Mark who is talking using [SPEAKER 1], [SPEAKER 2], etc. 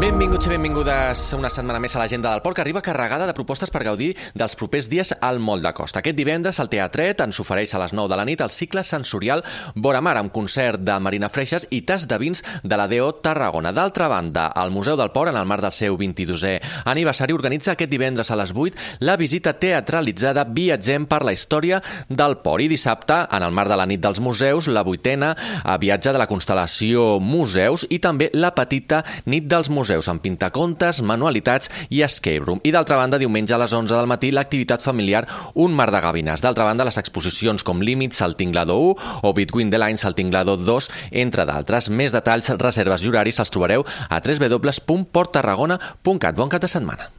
[SPEAKER 1] Benvinguts i benvingudes una setmana més a l'Agenda del Port, que arriba carregada de propostes per gaudir dels propers dies al Moll de Costa. Aquest divendres el Teatret ens ofereix a les 9 de la nit el cicle sensorial Vora Mar, amb concert de Marina Freixas i tas de vins de la DO Tarragona. D'altra banda, el Museu del Port, en el marc del seu 22è aniversari, organitza aquest divendres a les 8 la visita teatralitzada Viatgem per la història del port. I dissabte, en el marc de la nit dels museus, la 8a viatge de la constel·lació Museus i també la petita nit dels museus, amb pintacontes, manualitats i escape room. I d'altra banda, diumenge a les 11 del matí, l'activitat familiar Un mar de gavines. D'altra banda, les exposicions com Límits al Tinglado 1 o Between the Lines al Tinglado 2, entre d'altres. Més detalls, reserves i horaris els trobareu a www.porttarragona.cat. Bon cap de setmana.